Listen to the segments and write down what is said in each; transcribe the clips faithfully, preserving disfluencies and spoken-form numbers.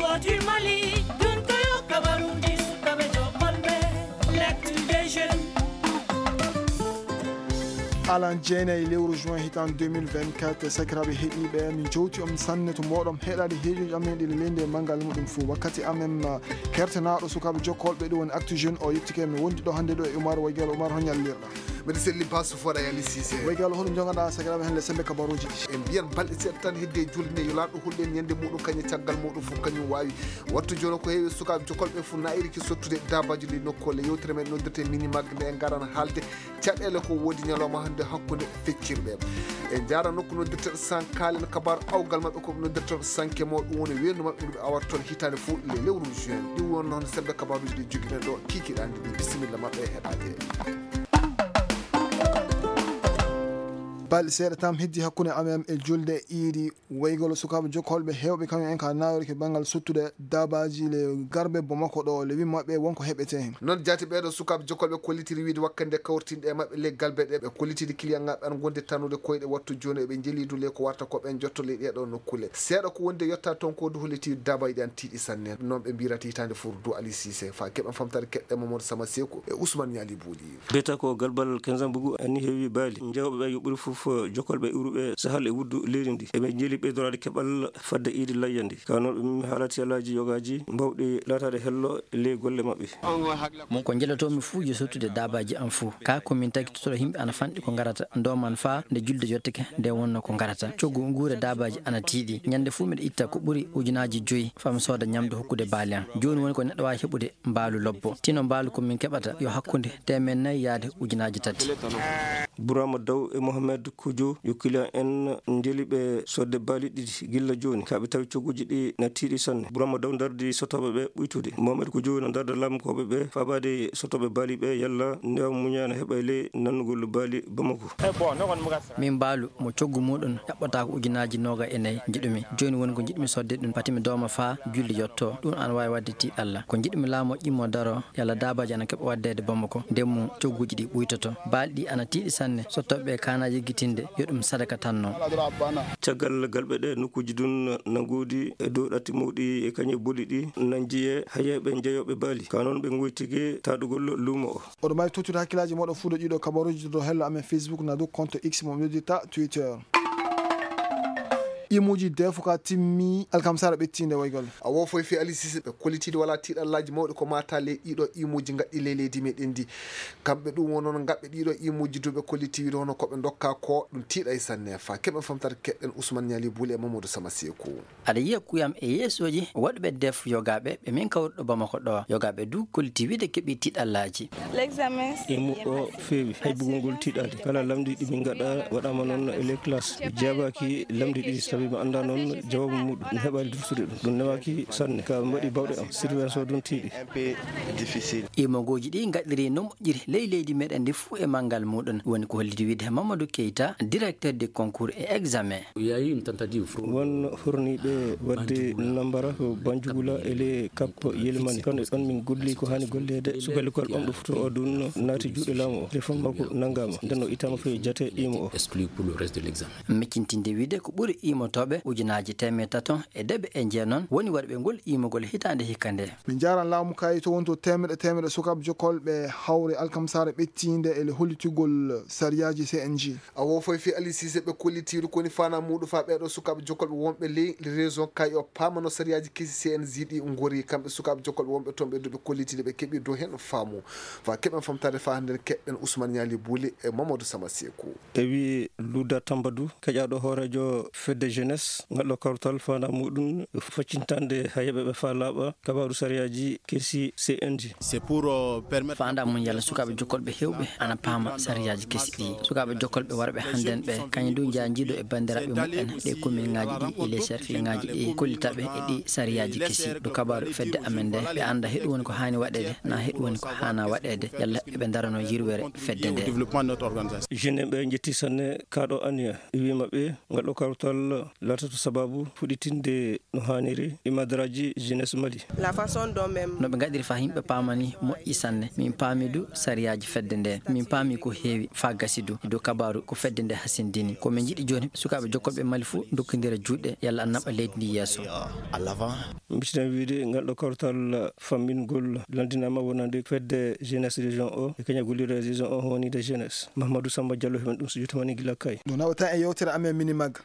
Ko du Mali, ɗum ko yo kabaruuji sukaaɓe jokolɓe, l'actu des jeunes. Alan jeenayi lewru juin hitan deux mille vingt-quatre, sakiraaɓe heɗiiɓe, min jowti on sanne to mooɗon heɗaade heejoji amen ɗi leydi e manngal muɗum fof. Wakkati amen, uh, kertanaaɗo sukaaɓe jokkolɓe, ɗum woni Actu Jeune o, yettike mi wondi ɗo hannde ɗo e Umar Waygal. Umar, ho ñallirɗa? Mbeɗa selli Basu Foɗa Yali Sise. Waygal, hoɗum jogaɗa sakiraaɓe hannde sembe kabaruuji ɗi? En mbiyan balɗe seeɗa tan heddi e julde nde, yo laaɗo hulɓe en ñande muɗum, kañum caggal muɗum fof kañum waawi. Wattu jooni ko heewi sukaaɓe jokolɓe fof naayiri ki sottude daabaaji ɗi nokkuule. Yewtere men noddirte Minimag nde en ngaran haalde caɗeele ko woodi ñalawma hannde hakkunde feccirɓe. En njaara nokku noddirteɗo Sankaalen, kabaaru awgal maɓɓe ko noddirteɗo Sankemo, ɗum woni weendu maɓɓe ndu ɓe awata toon hitaande fof le lewru juin. Ɗi won noon sembe kabaaruuji ɗi jogiɗen ɗo kiikiɗe hannde ɗi. Bisimilla maɓɓe e heɗaade. Balɗe seeɗa tan heddi hakkunde amen e julde iidi. Woygol sukaaɓe jokkolɓe heewɓe kañum en ka naawirki banngal sottude daabaaji le garbe Bamako ɗo le wimmaɓe wonko heɓete heen. Noon jaati ɓeeɗo sukaaɓe jokkolɓe kollitiri wiide wakkande kawrtinɗe e maɓɓe le galbe ɗe ɓe kollitiri kiliyanŋaaɓe an gonde tannude koyɗe wattu jooni eɓe njelidu le ko warta ko ɓen jotto le ɗeeɗo nokkule. Seeɗa ko wonde yotta toon ko du holliti daabaaji ɗi an tiiɗi sanne. Noon ɓe mbirata hitaande fur du Ali Sise. Fa keɓen famtare keɗɗe Mamadou Sama Seku e Ousmane Ñaali Buuli. Beta ko galbal Kenzan Bugu anni heewi baali. Jawɓe ɓe yo ɓuri fof jokkolɓe iwruɓe sahal e wuddu leydi ndi. Eɓe njeli ɓeydoraade keɓal fadde iidi layya ndi. Ka noon ɓe mimmi haalati alaaji yogaaji mbawɗi laataade hello e ley golle maɓɓe. Mon ko njelotoomi fuu yo sottude daabaaji am fuu. Ka ko min tagi tottoro yimɓe ana fanɗi ko ngarata. Ndo man faa nde julde yottake nde wonno ko ngarata. Coggu nguure daabaaji ana tiiɗi. Ñande fuu miɗa itta ko ɓuri ujunaaji joyi faa mi sooda ñamdu hokkude baali am. Jooni woni ko neɗɗo waawi heɓude mbaalu lobbo. Tino mbaalu ko min keɓata yo hakkunde teemeɗɗe nayi yaade ujunaaji tati. Burama Daw e Mohamed Kujo yo kiliyan en njeli ɓe sodde baali ɗiɗi gilla jooni. Ka ɓe tawi cogguji ɗi na tiiɗi sanne. Burama Daw ndardi sotooɓe ɓe ɓuytude. Mohamed Kujo na ndarda laamukooɓe ɓe faabaade sotooɓe baali ɓe yalla newa muñana heɓa e ley nannugol baali Bamako. Min mbaalu mo coggu muɗum ƴaɓɓata ko ujunaaji nooga e nayi njiɗumi. Jooni woni ko njiɗmi sodde ɗum, pati mi dooma faa julde yotto. Ɗum ana waawi waɗde tiiɗalla. Ko njiɗmi laamu o ƴimmo daro, yalla daabaaji ana keɓa waɗdeede Bamako. Ndeen mum cogguuji ɗi ɓuytoto. Baali ɗi ana tiiɗi sanne. Sottooɓe ɓe kaana yeggitinde, yo ɗum sadaka tan non. Caggal galɓe ɗe, nokkuuji ɗum na ngoodi e dow ɗatti mawɗi e kañe boli ɗi, na njiyee hayeeɓe jeyooɓe baali. Ka noon ɓe ngoytike taɗugol luumo o. Oɗo mari tottude hakkillaaji mooɗon fuu ɗo ɗiɗo kabaruuji to hello amen Facebook na dow compte X mo ɓe noddirta Twitter. Imuuji defuka timmi alkamsara ɓettiinde woygol. A wo foy fi Ali Sise ɓe kollitiiɗo wala tiiɗallaaji mawɗi ko mata ley ɗiɗo imuuji ngaɗɗi ley leydi meɗen ndi. Kamɓe ɗum wonon ngaɓɓe ɗiɗo imuuji duuɓe kollitiiɗo hono ko ɓe ndokka ko ɗum tiiɗay sanne fa. Keɓen famtata keɗɗen Ousmane Ñaali Buuli e Mamadou Sama Seeku. Aɗa yiya kuyam e yeesooji waɗuɓe def yogaaɓe ɓe min kawruɗo Bamako ɗo. Yogaaɓe du kolliti wiide keɓi tiiɗallaaji. Imu o feewi, hay bugol ngol tiiɗaade. Kala lamndi ɗi min ngaɗa waɗaama noon e les classes. Mi jaabaaki lamndi ɗi, sabi mi anndaa noon jawaabu muɗum. Mi heɓaali dursude ɗum. Ɗum newaaki sanne. Ka mbaɗi bawɗe am. Surveillance o ɗum tiiɗi. Imogooji ɗi ngaɗiri no moƴƴiri ley leydi meɗen ndi fuu e manngal muɗum. Woni ko holliti wiide Mamadou Keita, directeur des concours et examens. Won horniiɓe waɗde nambara ko Banjugula e le Cap Yelimani. Kono ɗon min golli ko haani golleede. Suka likol ɓamɗo futo o ɗum naati juuɗe laamu o. Téléphone makko nanngaama. Nden o ittaama fof e jate imo o. Miccintinde wiide ko ɓuri imotooɓe ujunaaji teemeɗɗe tato e deɓe e jeenon woni waɗuɓe ngol imogol hitaande hikka nde. Min njaaran laamu kayi to wonto teemeɗɗe teemeɗɗe sukaaɓe jokkolɓe hawre alkamsare ɓettiinde e le hollitugol sariyaaji C N G. A wo foy fi Ali Sise ɓe kollitiiru koni fana muɗum fa ɓeɗo sukaaɓe jokkolɓe wonɓe ley région kay o paamano sariyaaji kesi C N G ɗi ngori kamɓe sukaaɓe jokkolɓe wonɓe toon ɓe duɓe kollitiiɗe ɓe keɓi dow heen faamu. Fa keɓen famtade fa hannde keɗɗen Ousmane Ñaali Buuli e Mamadou Sama Seeku. E wi Luda Tambadu, keƴaaɗo hooreejo fedde jeunesse, ngalɗo kawtal fana muɗum faccintande hayeɓe ɓe fa laaɓa kabaaru sariyaaji kesi C N G. Faandaare mum yalla sukaaɓe jokkolɓe heewɓe ana paama sariyaaji kesi ɗi. Sukaaɓe jokkolɓe warɓe hannden ɓe, kañum du njaha njiido e banndiraaɓe muɓɓen ɗe kominŋaaji ɗi e les cercleŋaaji ɗi kollita ɓe e ɗi sariyaaji kesi. Ɗo kabaaru fedde amen nde, ɓe annda heɗu woni ko haani waɗeede, na heɗu woni ko haana waɗeede, yalla eɓe ndarano yirwere fedde nde. Jeune ɓe njetti sanne kaɗo aniya, e wi maɓɓe ngal ɗo kawtal Laatoto sababu fuɗɗitinde no haaniri ɗi madaraaji jeunesse Mali. La façon dont même. No ɓe ngaɗiri faa yimɓe paamani moƴƴi sanne. Min paami du sariyaaji fedde nde. Min paami ko heewi faa gasi du. E dow kabaaru ko fedde nde hasindini. Ko min njiɗi jooni, sukaaɓe jokkolɓe Mali fuu ndokkondira juuɗe, yalla ana naɓa leydi ndi yeeso. Mbitiɗen wiide ngal ɗo kawtal fammingol lanndinaama wonande fedde jeunesse région o e keña gollirde région o wonande jeunesse. Mahamadou Samba Diallo heɓen ɗum so jotamani gila kay. No naɓata e yewtere amen Minimag.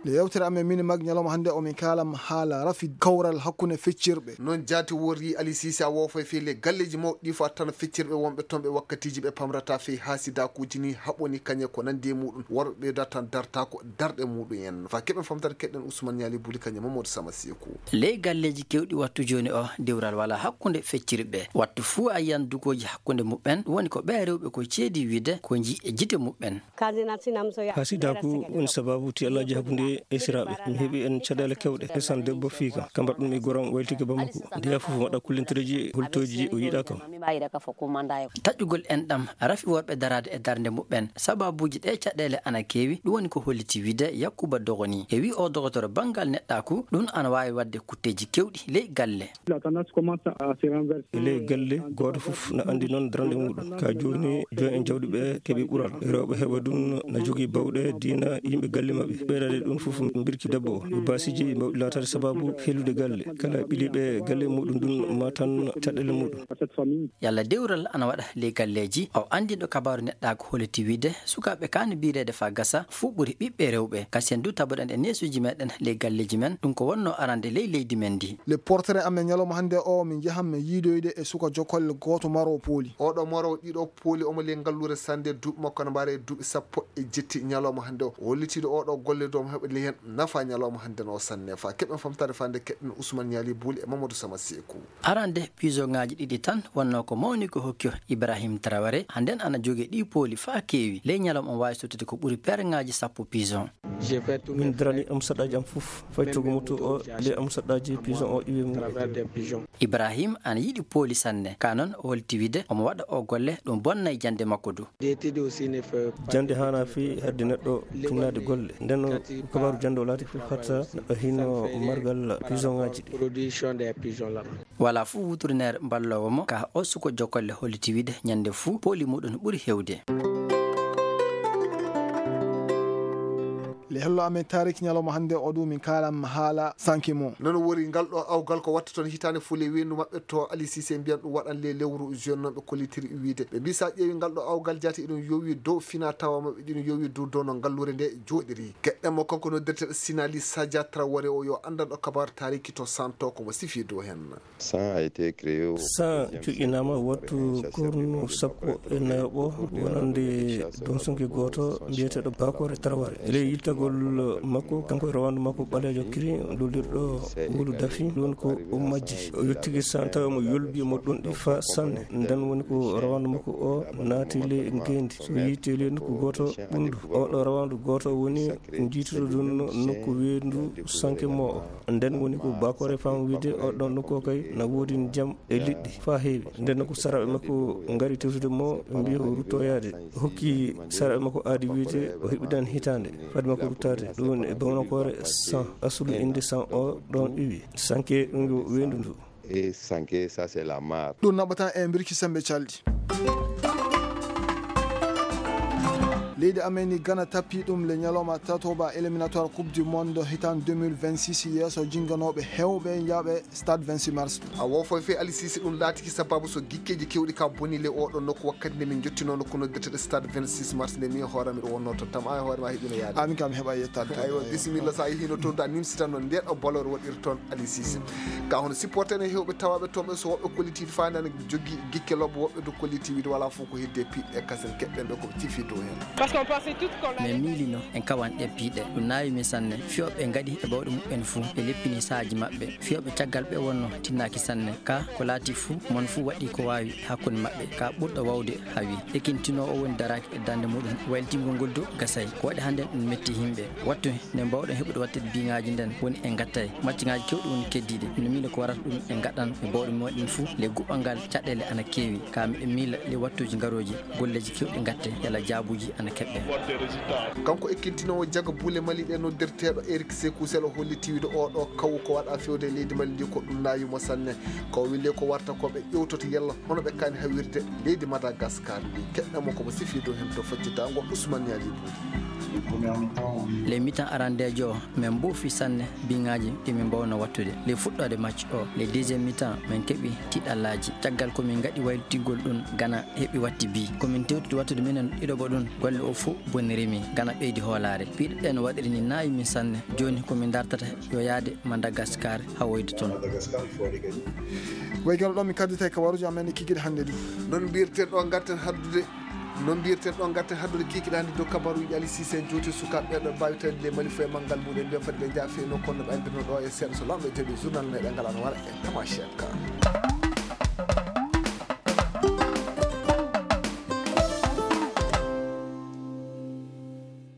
Nde yewtere amen Minimag ñalawma hannde o min kaalam haala rafi kawral hakkunde feccirɓe. Noon jaati worri Ali Sise a woofay fii le galleeji mawɗi ɗi fo a tan feccirɓe wonɓe toon ɓe wakkatiiji ɓe pamrata fii haasidakuuji ni haɓoni kañe ko nandi e muɗum worɓe ɓeyda tan darta ko darɗe muɗum en. Fa keɓen famtata keɗen Ousmane Ñaali Buli kañe Mamadou Sama Seeku. Ley galleeji kewɗi wattu jooni o dewral wala hakkunde feccirɓe. Wattu fuu a yiyan dugooji hakkunde muɓɓen woni ko ɓe rewɓe ko ceedi wiide ko nji e jite muɓɓen. Hasidaku woni sababu tiyallaaji hakkunde esiraaɓe. Mi heɓi en caɗeele kewɗe. Ndesan debbo fii kam. Kambat ɗum e goram waylitike Bamako. Ndeya fof waɗa kullintireeji holtooji o yiɗaa kam. Taƴƴugol enɗam rafi worɓe daraade e darnde muɓɓen. Sababuuji ɗe caɗeele ana keewi. Ɗum woni ko holliti wiide Yakuba Dogoni. E wi o dogotoro banngal neɗɗaaku, ɗum ana waawi waɗde kutteeji kewɗi ley galle. La tendance commence à se renverser. E ley galle, gooto fof na anndi noon darnde muɗum. Ka jooni, joom en jawdi ɓe keɓi ɓural. Rewɓe heɓa ɗum na jogii bawɗe diina yimɓe galle maɓɓe. Ɓeydaade ɗum fof mbirki debbo o. Yo baasiiji mbawɗi laataade sababu helude galle. Kala ɓiliiɓe galle muɗum ɗum ma tan caɗeele muɗum. Yalla dewral ana waɗa ley galleeji. O anndinɗo kabaaru neɗɗaaku holliti wiide sukaaɓe kaani biireede faa gasa fof ɓuri ɓiɓɓe rewɓe. Kasi en du taboɗen e neesuuji meɗen ley galleeji men. Ɗum ko wonnoo arande ley leydi men ndi. Le portrait amen ñalawma hannde o, min njahan min yiidoyde e suka jokolle gooto maro pooli. Oɗo maro ɗiɗo pooli omo ley ngalluure sannde, duuɓi makko ana mbaara e duuɓi sappo e jetti ñalawma hannde o. O hollitiiɗo oɗo golle du omo heɓa ley heen nafa ñalawma hannde no o sanne. Fa keɓen famtaade fande keɗen Ousmane Ñaali Buli e Mamadou Sama Seeku. Arande pisoŋaaji ɗiɗi tan wonnoo ko mawni ko hokki o Ibrahim Traoré. Hannden ana jogii ɗi pooli faa keewi. Ley ñalawma omo waawi sottude ko ɓuri pereŋaaji sappo pison. Min darani am saɗaaji am fof. Fay togo moto o, le am saɗaaji pison o iwe mum. Ibrahim ana yiɗi pooli sanne. Ka noon o holti wiide omo waɗa o golle, ɗum bonnay jannde makko du. Jannde haana fii hedde neɗɗo tinnaade golle. Nden o kabaaru jannde o laati fof hatta neɗɗo hino margal pisoŋaaji ɗi. Wala fof wutrineer mballoowo mo ka o suko jokolle holliti wiide ñannde fuu pooli muɗum ɓuri heewde. Le hello amen taariki ñalawma hannde o du min kaalam haala sanke mo. Noon wori ngal ɗo awgal ko watta toon hitaande fuu le weendu maɓɓe to Ali Sise mbiyan ɗum waɗan le lewru juin noon ɓe kollitiri wiide. Ɓe mbi sa ƴeewi ngal ɗo awgal jaati eɗum yowi dow fina tawa maɓɓe ɗiɗum yowi dow dow no ngalluure nde jooɗiri. Keɗɗen mo kanko noddirteɗo Sinali Sadia Traoré o yo anndanɗo kabaar taariki to Santo ko mo sifi dow heen. San a été créé au San cuƴƴinaama wattu kornu sappo e nayoɓo wonande donsunke gooto mbiyeteeɗo Bakore Traoré. Ley yittagol makko, kanko e rawandu makko ɓaleejo kiri lullirɗo ngulu dafi, ɗum woni ko o majji. O yettiki San tawi mo yolbi mo ɗum ɗi fa sanne. Nden woni ko rawandu makko o naati ley ngeendi. So yiite ley nokku gooto ɓunndu, oɗo rawandu gooto woni njiituɗo ɗum nokku weendu sanke mo o. Nden woni ko Bakore fam wiide oɗon nokku o kay na woodi ndiyam e liɗɗi faa heewi. Nden ko saraaɓe makko ngari tewtude mo, mbiyi o ruttoyaade. O hokki saraaɓe makko aadi wiide o heɓidan hitaande fade makko ruttaade. Ɗum woni e bamnakoore San, asulu innde San o ɗon iwi. Sanke ɗum yo weendu ndu. E sanke, ça c'est la mare. Ɗum naɓata e mbirki sembe calɗi. Leydi amen ni Ghana tappi ɗum le ñalawma tatoɓa éliminatoire Coupe du Monde hitan deux mille vingt-six yeeso jinganooɓe heewɓe njaaɓe stade vingt-six mars. A wo foy fey Ali Cissé ɗum laatiki sababu so gikkeeji keewɗi ka boni le oɗo nokku wakkati nde min jottinoo nokku noddirteɗo stade vingt-six mars nde min e hoore am miɗo wonnoo toon. Tam a e hoore ma heɓino yaade. Amin kam heɓa yettaade toon. Aywa, bisimilla, so a yehino toon, da nimsitanno nde ɗo ballore waɗiri toon Ali Cissé. Ka hono supporter en e heewɓe tawaaɓe toon ɓe so woɓɓe kolliti faande ana jogii gikke lobbo, woɓɓe du kolliti wiide wala fof ko hedde piɗɗe kasen keɓɗen ɓe ko tifi dow heen. Parce qu'on pensait tous qu'on allait. Min miilino en kawan ɗe piiɗe. Ɗum naawi min sanne. Fiyooɓe ngaɗi e bawɗe muɓɓen fuu. Ɓe leppini saaji maɓɓe. Fiyooɓe caggal ɓe wonno tinnaaki sanne. Ka ko laati fuu, mon fuu waɗi ko waawi hakkunde maɓɓe. Ka ɓurɗo wawde hawi. Ekintinoowo woni daraaki e darnde muɗum. Waylitingol ngol du gasay. Ko waɗi hannden ɗum metti yimɓe. Wattu nde mbawɗen heɓude wattude biŋaaji nden woni en ngattay. Macciŋaaji keewɗi woni keddiiɗi. Miɗo miila ko warata ɗum en ngaɗan e bawɗe meɗen fuu. Le guɓɓal ngal caɗeele ana keewi. Ka miɗo miila le wattuuji ngarooji golleeji keewɗi ngatte yalla jaabuuji ana Kanko ekkintinoowo jaga buule Mali ɗe, noddirteeɗo Eric Sekou Sel, o holli tiwiiɗo oo ɗoo kawu ko waɗa fewde e leydi Mali ndi ko ɗum naawi mo sanne. Ko o weli ko warta ko ɓe ƴewtoto yalla hono ɓe kaani hawirde leydi Madagascar ndi. Keɗɗamo ko mo sifi dow heen to faccitaango Ousmane Yali Bouy. Le mitan arandeejo o, min mbuufi sanne biŋaaji ɗi min mbaawno wattude. Le fuɗɗoode match o, le deuxième mitan, min keɓi tiɗallaaji. Caggal ko min ngaɗi waylutingol ɗum, Gana heɓi watti bi. Ko min tewtude wattude minen ɗiɗo bo ɗum, golle o fof bonirimi. Gana ɓeydi hoolaare. Piɗe ɗen waɗiri ni naawi min sanne. Jooni ko min dartata yo yaade Madagascar hawoyde toon. Way gano ɗo min kaddita e kabaruji amen e kikiɗe hannde ɗi. Noon mbirten ɗo ngarten haddude noon mbirten ɗo ngarten haddude kikiɗe hannde dow kabaruji Ali Sise en jowti sukaaɓe ɓe ɗo mbawi tawde le Mali fof e manngal muɗen mbiya foti ɓe jaafe no kono ɓe mbirno ɗo e seeɗa so lamɗo jaɓi journal meɗen ngal ana wara e tamashek.